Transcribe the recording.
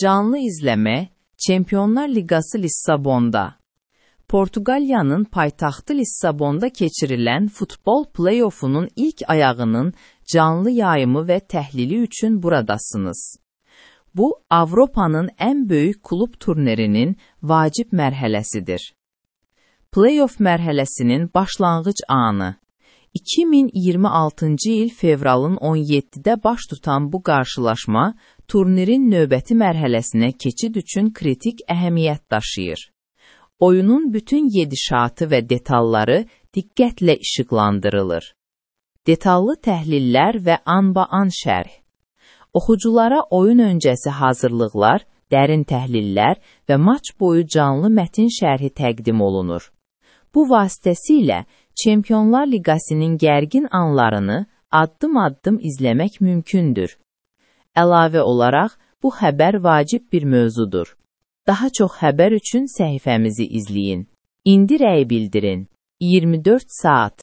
Canlı izləmə, Çempionlar Liqası Lissabonda. Portuqaliyanın paytaxtı Lissabonda keçirilən futbol play-offunun ilk ayağının canlı yayımı və təhlili üçün buradasınız. Bu, Avropanın ən böyük klub turnirinin vacib mərhələsidir. Play-off mərhələsinin başlanğıc anı. 2026-cı il fevralın 17-də baş tutan bu qarşılaşma, turnirin növbəti mərhələsinə keçid üçün kritik əhəmiyyət daşıyır. Oyunun bütün gedişatı və detalları diqqətlə işıqlandırılır. Detallı təhlillər və anba-an şərh. Oxuculara oyun öncəsi hazırlıqlar, dərin təhlillər və maç boyu canlı mətin şərhi təqdim olunur. Bu vasitəsilə Çempionlar Liqasının gərgin anlarını addım-addım izləmək mümkündür. Əlavə olaraq, bu xəbər vacib bir mövzudur. Daha çox xəbər üçün səhifəmizi izləyin. İndi rəy bildirin. 24 saat.